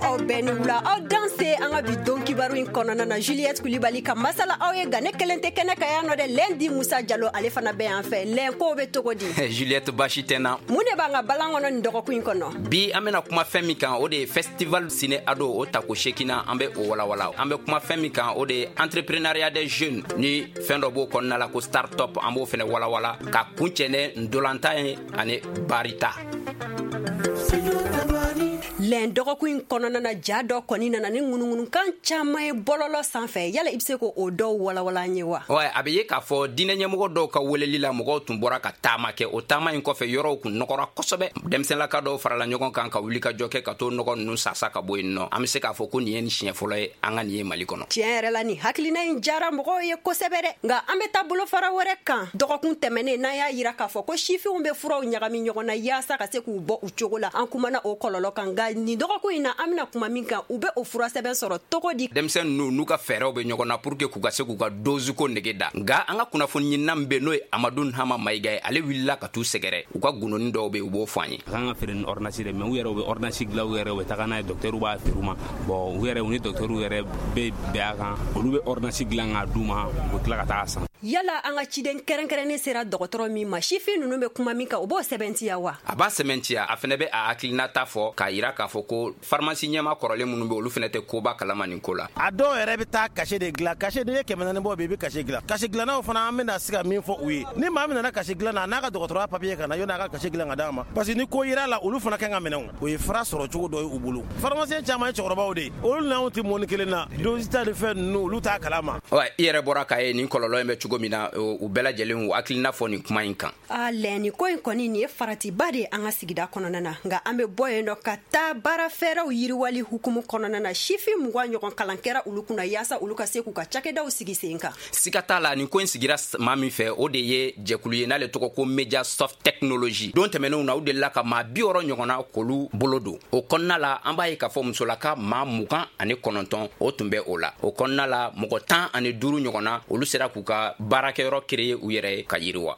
Aw bɛɛ ni wula, aw danse an ka bi don kibaru in kɔnɔna na. Juliette Kulibali ka masala aw ye, nka ne kelen tɛ kɛnɛ kan yan nɔ dɛ. Lɛndi Musa Jalo, ale fana bɛ yan fɛ. Lɛn, kow bɛ cogo di? Juliette, baasi tɛ na. Mun de b'an ka balan kɔnɔ nin dɔgɔkun in kɔnɔ? Bi, an bena kuma fɛn min kan, o de ye festival ciné ado, o tako sekinna, an be o walawala. An be kuma fɛn min kan, o de ye entrepreneuriat des jeunes, ni fɛn dɔ b'o kɔnɔna la ko start-up, an b'o fɛnɛ walawala ka kuncɛ ni ndolantan ye ani barita. Lɛn, dɔgɔkun in kɔnɔna na, ja dɔ kɔni nana ni ŋunuŋunukan caman ye bɔlɔlɔ sanfɛ. Yala i be se ko o dɔw walawala an ye wa? Ouais, a be ye k'a fɔ diinɛ ɲɛmɔgɔ dɔw ka weleli la, mɔgɔw tun bɔra ka taama kɛ. O taama in kɔfɛ, yɔrɔw kun nɔgɔra kosɛbɛ. Denmisɛnlaka dɔw farala ɲɔgɔn kan ka wuli ka jɔ kɛ ka to nɔgɔ nunu sasa ka bɔ yen nɔ. An be se k'a fɔ ko nin ye nin siɲɛ fɔlɔ ye an ka nin ye Mali kɔnɔ. Tiɲɛ yɛrɛ la, nin hakilina in jara mɔgɔw ye kosɛbɛ dɛ. Nka an be taa bolofara wɛrɛ kan. Dɔgɔkun tɛmɛnen n'an y'a yira k'a fɔ ko sifinw be furaw ɲagami ɲɔgɔn na yaasa ka se k'u bɔ u cogo la, an kumana o kɔlɔlɔ kan. Nka nin dɔgɔkun in na, an bena kuma min kan, u be o furasɛbɛn sɔrɔ cogo di? Denmisɛn ninnu n'u ka fɛɛrɛw bɛ ɲɔgɔn na pour que k'u ka se k'u ka dose ko nege da. Nka an ka kunnafoni ɲinina min bɛ, n'o ye Amadu Hama Mayiga ye, ale wulila ka t'u sɛgɛrɛ. U ka gundoni dɔw bɛ, u b'o fɔ an ye. A kan ka feere ni ordonnance de, mais u yɛrɛ u bɛ ordonnance dilan u yɛrɛ, u bɛ taga n'a ye, docteur b'a feere u ma. Bon, u yɛrɛ, u ni docteur yɛrɛ bɛ bɛn a kan, olu bɛ ordonnance dilan k'a d'u ma, u bɛ tila ka taa san. Yala an ka ciden kɛrɛnkɛrɛnnen sera dɔgɔtɔrɔ min ma, sifin ninnu bɛ kuma min kan, o b'o sɛbɛntiya wa? A b'a sɛmɛntiya. A fɛnɛ bɛ a hakilinata fɔ k'a yira k'a fɔ ko pharmacie ɲɛma kɔrɔlen minnu bɛ, olu fɛnɛ tɛ koba kalama nin ko la. A dɔw yɛrɛ bɛ taa cachet de dilan. Cachet, n'i ye 400 bɔ bi, i bɛ cachet dilan. Cachet dilannaw fana, an bɛna se ka min fɔ u ye, ni maa min nana cachet dilan na, a n'a ka dɔgɔtɔrɔya papier ka na, yɔni a ka cachet dilan ka d'a ma, parce que ni ko yera la, olu fana kan ka minɛ. O ye fura sɔrɔ cogo dɔ ye u bolo. Pharmacien caman ye cɛkɔrɔbaw de ye, olu n'anw tɛ mɔni kelen na. Dose ta ni fɛn ninnu, olu t'a kalama. I yɛrɛ bɔra k'a ye nin kɔlɔlɔ in bɛ cogo min na, u bɛɛ lajɛlen u hakilina fɔ nin kuma in kan. A lɛn, nin ko in kɔni, nin ye faratiba de ye an ka sigida kɔnɔna na. Nka an bɛ bɔ yen nɔ ka taa baara fɛɛrɛw yiriwali hukumu kɔnɔna na. Sifin 20 ɲɔgɔn kalan kɛra olu kunna yaasa olu ka se k'u ka cakɛdaw sigi sen kan. Siga t'a la, nin ko in sigira maa min fɛ, o de ye jɛkulu ye n'ale tɔgɔ ko Media Soft Technology. Don tɛmɛnenw na, u delila ka maa 60 ɲɔgɔnna k'olu bolo don o kɔnɔna la. An b'a ye k'a fɔ musolaka maa 29, o tun bɛ o la. O kɔnɔna la, mɔgɔ 15 ɲɔgɔnna, olu sera k'u ka baarakɛyɔrɔ créer u yɛrɛ ye ka yiriwa.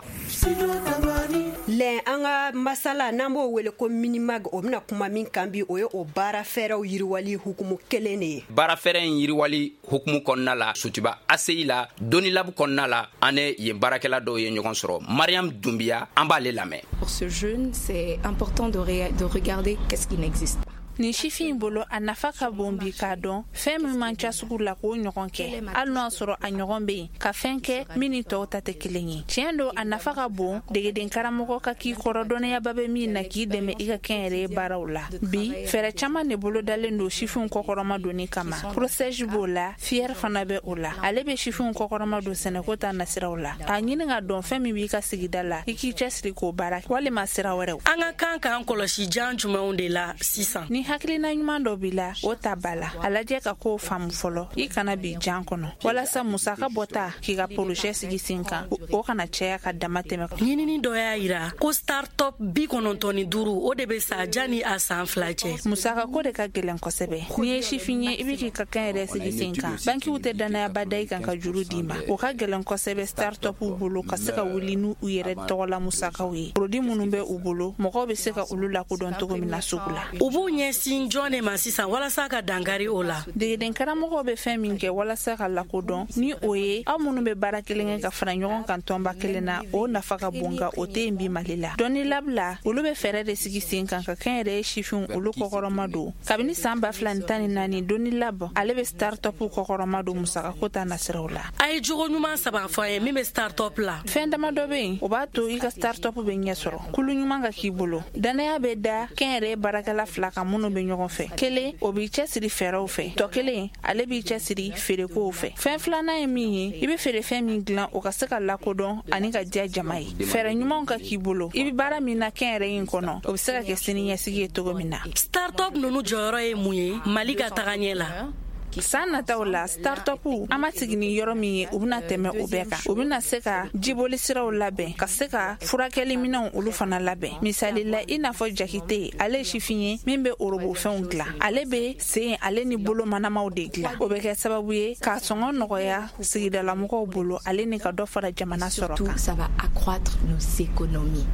Lɛn, an ka masala n'an b'o wele ko Minimag, o bɛna kuma min kan bi, o ye o baara fɛɛrɛw yiriwali hukumu kelen de ye. Baara fɛɛrɛ in yiriwali hukumu kɔnɔna la, Sotuba ACI la, Doni Lab kɔnɔna la, an ne yen baarakɛla dɔw ye ɲɔgɔn sɔrɔ. Mariam Dunbiya, an b'ale lamɛn. Pour ce jeune, c'est important de regarder qu'est-ce qui n'existe pas. Nin sifin bolo, a nafa ka bon bi k'a dɔn fɛn min man ca sugu la, k'o ɲɔgɔn kɛ, hali n'o y'a sɔrɔ a ɲɔgɔn bɛ yen, ka fɛn kɛ min ni tɔw ta tɛ kelen ye. Tiɲɛ don, a nafa ka bon degeden karamɔgɔ ka k'i kɔrɔ, dɔnniyaba bɛ min na k'i dɛmɛ i ka kɛnyɛrɛye ye baaraw la. Bi, fɛɛrɛ caman de bolodalen don sifinw kɔkɔrɔma donni kama. PROCEJ b'o la, FIER fana bɛ o la. Ale bɛ sifinw kɔkɔrɔma don sɛnɛko ta nasiraw la. A ɲini ka dɔn fɛn min b'i ka sigida la, i k'i cɛsiri k'o baara walima sira wɛrɛw. An ka kan k'an kɔlɔsi jan jumɛnw de la sisan? Ni hakilina ɲuman dɔ b'i la, o ta ba la, a lajɛ ka kow faamu fɔlɔ, i kana bi jan kɔnɔ, walasa musaka bɔta k'i ka projet sigi sen kan, o kana caya ka dama tɛmɛ. Ɲinini dɔ y'a yira ko start-up 95, o de bɛ sa janni a san 2 cɛ. Musaka ko de ka gɛlɛn kosɛbɛ. N'i ye sifin ye, i bɛ k'i ka kɛn yɛrɛ sigi sen kan, bankiw tɛ dannayaba da i kan ka juru d'i ma. O ka gɛlɛn kosɛbɛ start-up bolo ka se ka wuli n'u yɛrɛ tɔgɔla musakaw ye. Produit minnu bɛ u bolo, mɔgɔw bɛ se ka olu lakodɔn cogo min na sugu la. U b'u ɲɛsin jɔn de ma sisan walasa ka dankari o la? Degeden karamɔgɔw bɛ fɛn min kɛ walasa ka lakodɔn, ni o ye aw minnu bɛ baara kelen kɛ ka fara ɲɔgɔn kan tɔnba kelen na, o nafa ka bon, nka o tɛ yen bi Mali la. Dɔnni labila, olu bɛ fɛɛrɛ de sigi sen kan ka kɛnyɛrɛye sifinw olu kɔkɔrɔma don. Kabini san 2014, Dɔnni Lab, ale bɛ start-up kɔkɔrɔma don musakako ta nasiraw la. A ye jogo ɲuman saba fɔ an ye min bɛ start-up la. Fɛn dama dɔ bɛ yen, o b'a to i ka start-up bɛ ɲɛ sɔrɔ. Kulu ɲuman ka k'i bolo, dannaya bɛ da kɛnyɛrɛye baarakɛla fila kan minnu bɛ ɲɔgɔn fɛ. Kelen, o b'i cɛsiri fɛɛrɛw fɛ, tɔ kelen, ale b'i cɛsiri feerekow fɛ. Fɛn filanan ye min ye, i bɛ feerefɛn min dilan, o ka se ka lakodɔn ani ka diya jama ye. Fɛɛrɛ ɲumanw ka k'i bolo, i bɛ baara min na kɛnyɛrɛye in kɔnɔ, o bɛ se ka kɛ sini ɲɛsigi ye cogo min na. Start-up ninnu jɔyɔrɔ ye mun ye Mali ka taga ɲɛ la? San nataw la, start-up, an ma sigi ni yɔrɔ min ye, u bɛna tɛmɛ o bɛɛ kan. U bɛna se ka jiboli siraw labɛn, ka se ka furakɛli minɛnw olu fana labɛn. Misali la, i n'a fɔ Jakite, ale ye sifin ye min bɛ orobofɛnw dilan. Ale bɛ sen ale ni bolo manamaw de dilan. O bɛ kɛ sababu ye k'a sɔngɔ nɔgɔya sigidalamɔgɔw bolo, ale ni ka dɔ fara jamana sɔrɔ kan. Ça va accroître nos économies.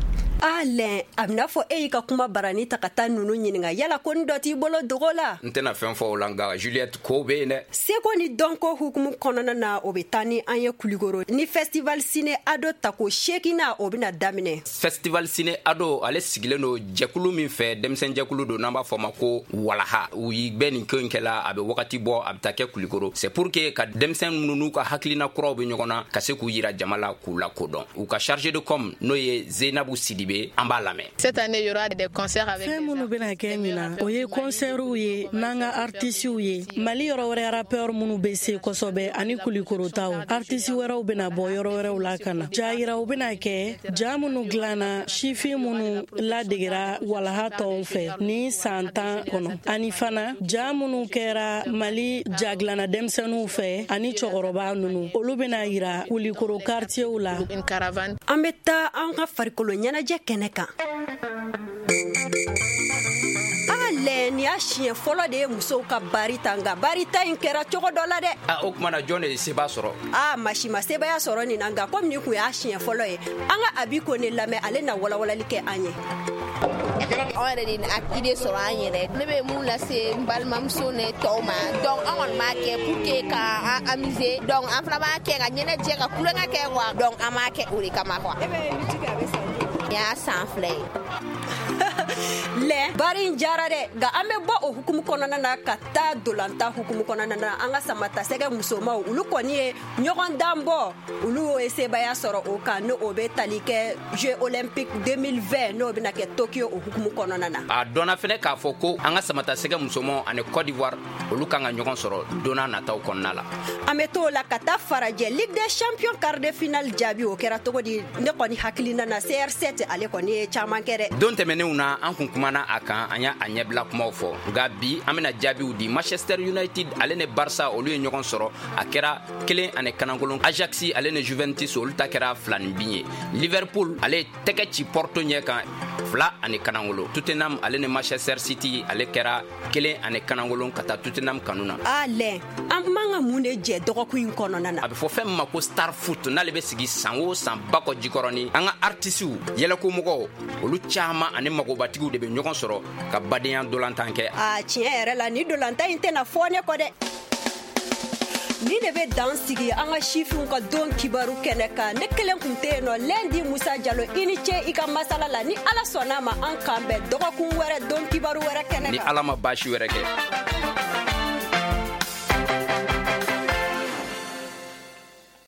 A lɛn, a bɛna fɔ e y'i ka kuma barani ta ka taa ninnu ɲininka, yala ko ni dɔ t'i bolo dogo la? N tɛna fɛn fɔ o la, nka Juliette, ko bɛ yen dɛ. Seko ni dɔnko hukumu kɔnɔna na, o bɛ taa ni an ye Kulikoro ni Festival Ciné Ado tako 8nan, o bɛna daminɛ. Festival Ciné Ado, ale sigilen don jɛkulu min fɛ, denmisɛn jɛkulu don n'an b'a fɔ ma ko Walaha. U yi bɛ nin ko in kɛla, a bɛ wagati bɔ, a bɛ taa kɛ Kulikoro. C'est pour que ka denmisɛn minnu n'u ka hakilina kuraw bɛ ɲɔgɔn na, ka se k'u yira jama la, k'u lakodɔn. U ka chargé de com, n'o ye Zeinabu Sidibe, an b'a lamɛn. Cette année, il y aura des concerts avec Fɛn minnu bɛna kɛ ɲina, o ye kɔnsɛriw ye n'an ka artisiw ye, Mali yɔrɔ wɛrɛ rappeur minnu bɛ se kosɛbɛ ani Kulikorotaw. Artisi wɛrɛw bɛna bɔ yɔrɔ wɛrɛw la ka na. Ja yiraw bɛna kɛ, ja minnu dilanna sifin minnu ladegera Walaha tɔnw fɛ ni san 10 kɔnɔ, ani fana ja minnu kɛra Mali jagilanna denmisɛnninw fɛ ani cɛkɔrɔba ninnu, olu bɛna yira Kulikoro quartierw la. Une caravane. An bɛ taa an ka farikolo ɲɛnajɛ kɛnɛ kan. A lɛ, nin y'a siɲɛ fɔlɔ de ye musow ka bari ta, nka bari ta in kɛra cogo dɔ la dɛ. A, o tuma na, jɔn de ye seba sɔrɔ? A masi ma sebaya sɔrɔ nin na, nka komi nin kun y'a siɲɛ fɔlɔ ye, an ka Abi Kone lamɛn, ale na walawalali kɛ an ye. Anw yɛrɛ de a idée sɔrɔ an yɛrɛ. Ne bɛ mun lase n balimamuso ne tɔw ma? Donc an kɔni b'a kɛ pour que ka an amuser. Donc an fana b'a kɛ ka ɲɛnajɛ, ka kulonkɛ kɛ quoi. Donc an b'a kɛ o de kama quoi. E bɛ lutte kɛ, a bɛ san joli? Nin y'a san 2 ye. Lɛ, bari in jara dɛ. Nka an bɛ bɔ o hukumu kɔnɔna na ka taa dolanta hukumu kɔnɔna na. An ka samatasɛgɛ musomaw, olu kɔni ye ɲɔgɔn dan bɔ, olu ye sebaya sɔrɔ o kan, n'o bɛ tali kɛ Jeux Olympique 2020, n'o bɛna kɛ Tokyo, o hukumu kɔnɔna na. A dɔnna fɛnɛ k'a fɔ ko an ka samatasɛgɛ musomaw ani Côte d'Ivoire, olu kan ka ɲɔgɔn sɔrɔ donna nataw kɔnɔna la. An bɛ t'o la ka taa farajɛ Ligue des Champions quart de finale jaabi, o kɛra cogo di? Ne kɔni hakilina na, CR7 ale kɔni ye caman kɛ dɛ. Don tɛmɛnenw na, an kun kumana a kan, an y'a a ɲɛbila kumaw fɔ, nka bi an bɛna jaabiw di. Manchester United ale ni Barça, olu ye ɲɔgɔn sɔrɔ, a kɛra 1-1. Ajax ale ni Juventus, olu ta kɛra 2 ni bin ye. Liverpool ale ye tɛgɛ ci Porto ɲɛ kan, 2-1. Tottenham ale ni Manchester City, ale kɛra 1-1 ka taa Tottenham kanu na. A lɛ, an man ka mun de jɛ dɔgɔkun in kɔnɔna na? A bɛ fɔ fɛn min ma ko Star Foot, n'ale bɛ sigi san o san Bakɔ Jikɔrɔni. An ka artisiw, yɛlɛkomɔgɔw, olu caman ani magobatigiw de bɛ ɲɔgɔn sɔrɔ ka badenya dolantan kɛ. A tiɲɛ yɛrɛ la, ni dolantan in tɛna fɔ ne kɔ dɛ. Ni de bɛ dan sigi an ka sifinw ka don kibaru kɛnɛ kan. Ne kelen kun tɛ yen nɔ. Lɛndi Musa Jalo, i ni ce i ka masala la. Ni Ala sɔnna ma, an kan bɛn dɔgɔkun wɛrɛ, don kibaru wɛrɛ kɛnɛ Ni kan. Ala ma baasi wɛrɛ kɛ.